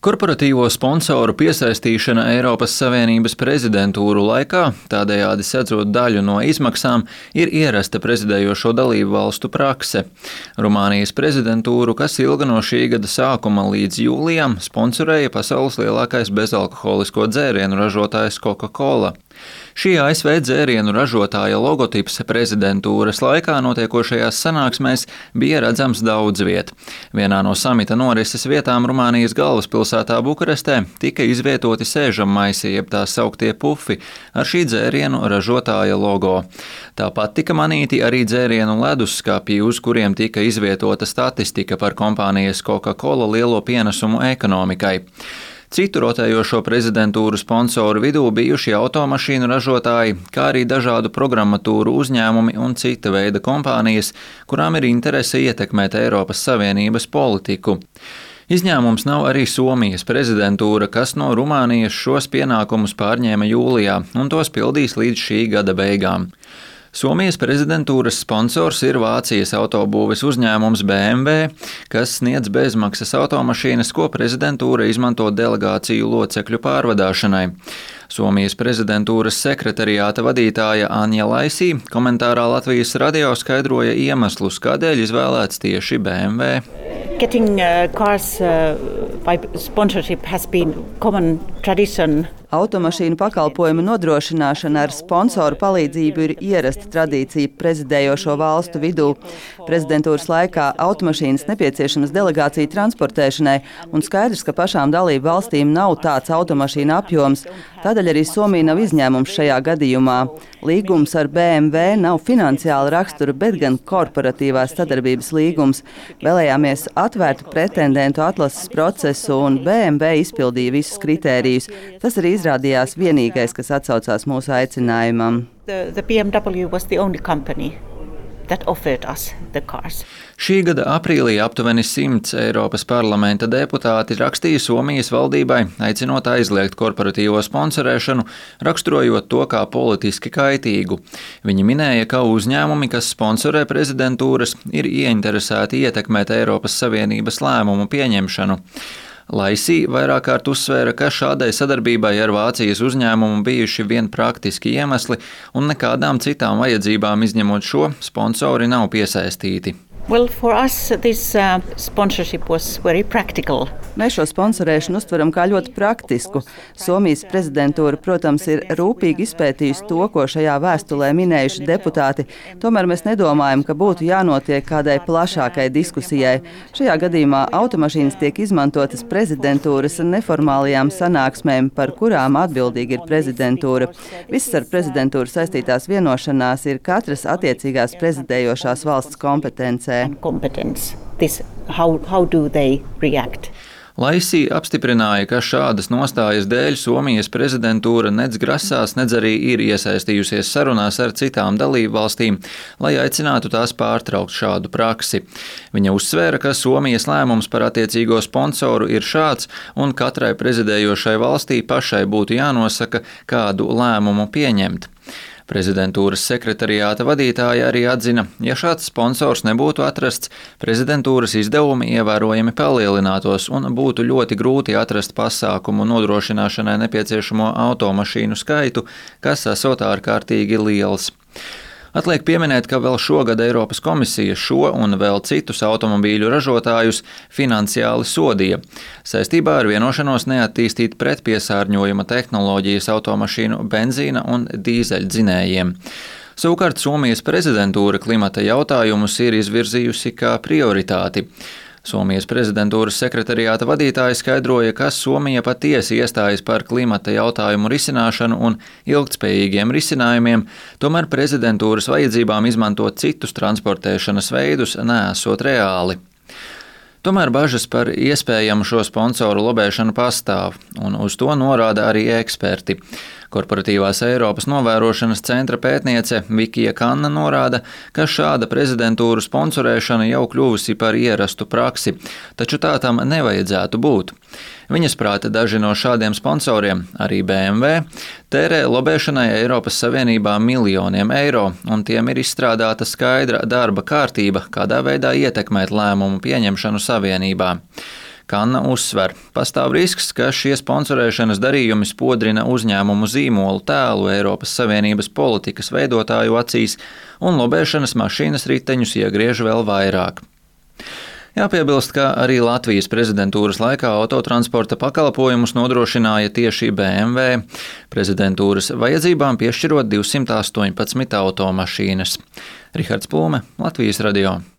Korporatīvo sponsoru piesaistīšana Eiropas Savienības prezidentūru laikā, tādējādi sedzot daļu no izmaksām, ir ierasta prezidējošo dalību valstu prakse. Rumānijas prezidentūru, kas ilga no šī gada sākuma līdz jūlijam, sponsorēja pasaules lielākais bezalkoholisko dzērienu ražotājs Coca-Cola. Šī ASV dzērienu ražotāja logotips prezidentūras laikā notiekošajās sanāksmēs bija redzams daudz viet. Vienā no samita norises vietām Rumānijas galvaspilsētā Bukarestē tika izvietoti sēžammaisi, jeb tā sauktie pufi, ar šī dzērienu ražotāja logo. Tāpat tika manīti arī dzērienu leduskapji, uz kuriem tika izvietota statistika par kompānijas Coca-Cola lielo pienesumu ekonomikai. Citu rotējošo prezidentūru sponsoru vidū bijuši automašīnu ražotāji, kā arī dažādu programmatūru uzņēmumi un cita veida kompānijas, kurām ir interese ietekmēt Eiropas Savienības politiku. Izņēmums nav arī Somijas prezidentūra, kas no Rumānijas šos pienākumus pārņēma jūlijā un tos pildīs līdz šī gada beigām. Somijas prezidentūras sponsors ir Vācijas autobūves uzņēmums BMW, kas sniedz bezmaksas automašīnas, ko prezidentūra izmanto delegāciju locekļu pārvadāšanai. Somijas prezidentūras sekretariāta vadītāja Anja Laisī komentārā Latvijas radio skaidroja iemeslus, kādēļ izvēlēts tieši BMW. Getting cars by sponsorship has been common tradition. Automašīnu pakalpojumu nodrošināšana ar sponsoru palīdzību ir ierasta tradīcija prezidējošo valstu vidū. Prezidentūras laikā automašīnas nepieciešamas delegāciju transportēšanai, un skaidrs, ka pašām dalību valstīm nav tāds automašīnu apjoms, tādēļ arī Somija nav izņēmums šajā gadījumā. Līgums ar BMW nav finansiāla rakstura, bet gan korporatīvās sadarbības līgums. Vēlējāmies atvērtu pretendentu atlases procesu, un BMW izpildīja visus kritērijus. Tas arī izrādījās vienīgais, kas atsaucās mūsu aicinājumam. The BMW was the only company that offered us the cars. Šī gada aprīlī aptuveni 100 Eiropas parlamenta deputāti rakstīja Somijas valdībai, aicinot aizliegt korporatīvo sponsorēšanu, raksturojot to kā politiski kaitīgu. Viņi minēja, ka uzņēmumi, kas sponsorē prezidentūras, ir ieinteresēti ietekmēt Eiropas Savienības lēmumu pieņemšanu. Laisī vairāk kārt uzsvēra, ka šādai sadarbībai ar Vācijas uzņēmumu bijuši vien praktiski iemesli un nekādām citām vajadzībām izņemot šo sponsori nav piesaistīti. Well, for us, this sponsorship was very practical. Mēs šo sponsorēšanu uztveram kā ļoti praktisku. Somijas prezidentūra, protams, ir rūpīgi izpētījusi to, ko šajā vēstulē minējuši deputāti. Tomēr mēs nedomājam, ka būtu jānotiek kādai plašākai diskusijai. Šajā gadījumā automašīnas tiek izmantotas prezidentūras neformālajām sanāksmēm, par kurām atbildīga ir prezidentūra. Visas ar prezidentūru saistītās vienošanās ir katras attiecīgās prezidējošās valsts kompetencē. How do they react? Laisī apstiprināja, ka šādas nostājas dēļ Somijas prezidentūra nedz grasās, nedz arī ir iesaistījusies sarunās ar citām dalību valstīm, lai aicinātu tās pārtraukt šādu praksi. Viņa uzsvēra, ka Somijas lēmums par attiecīgo sponsoru ir šāds, un katrai prezidējošai valstī pašai būtu jānosaka, kādu lēmumu pieņemt. Prezidentūras sekretariāta vadītāja arī atzina, ja šāds sponsors nebūtu atrasts, prezidentūras izdevumi ievērojami palielinātos un būtu ļoti grūti atrast pasākumu nodrošināšanai nepieciešamo automašīnu skaitu, kas esot ārkārtīgi liels. Atliek pieminēt, ka vēl šogad Eiropas komisija šo un vēl citus automobīļu ražotājus finansiāli sodīja saistībā ar vienošanos neattīstīt pretpiesārņojuma tehnoloģijas automašīnu benzīna un dīzeļdzinējiem. Savukārt Somijas prezidentūra klimata jautājumus ir izvirzījusi kā prioritāti. Somijas prezidentūras sekretariāta vadītāja skaidroja, ka Somija patiesi iestājas par klimata jautājumu risināšanu un ilgtspējīgiem risinājumiem, tomēr prezidentūras vajadzībām izmantot citus transportēšanas veidus neesot reāli. Tomēr bažas par iespējamu šo sponsoru lobēšanu pastāv, un uz to norāda arī eksperti. Korporatīvās Eiropas novērošanas centra pētniece Vikija Kanna norāda, ka šāda prezidentūru sponsorēšana jau kļuvusi par ierastu praksi, taču tā tam nevajadzētu būt. Viņas prāta daži no šādiem sponsoriem, arī BMW, tērē lobēšanai Eiropas Savienībā miljoniem eiro, un tiem ir izstrādāta skaidra darba kārtība, kādā veidā ietekmēt lēmumu pieņemšanu Savienībā. Kanna uzsver, pastāv risks, ka šie sponsorēšanas darījumi spodrina uzņēmumu zīmolu tēlu Eiropas Savienības politikas veidotāju acīs un lobēšanas mašīnas riteņus iegriež vēl vairāk. Jāpiebilst, ka arī Latvijas prezidentūras laikā autotransporta pakalpojumus nodrošināja tieši BMW, prezidentūras vajadzībām piešķirot 218 automašīnas. Rihards Plūme, Latvijas radio.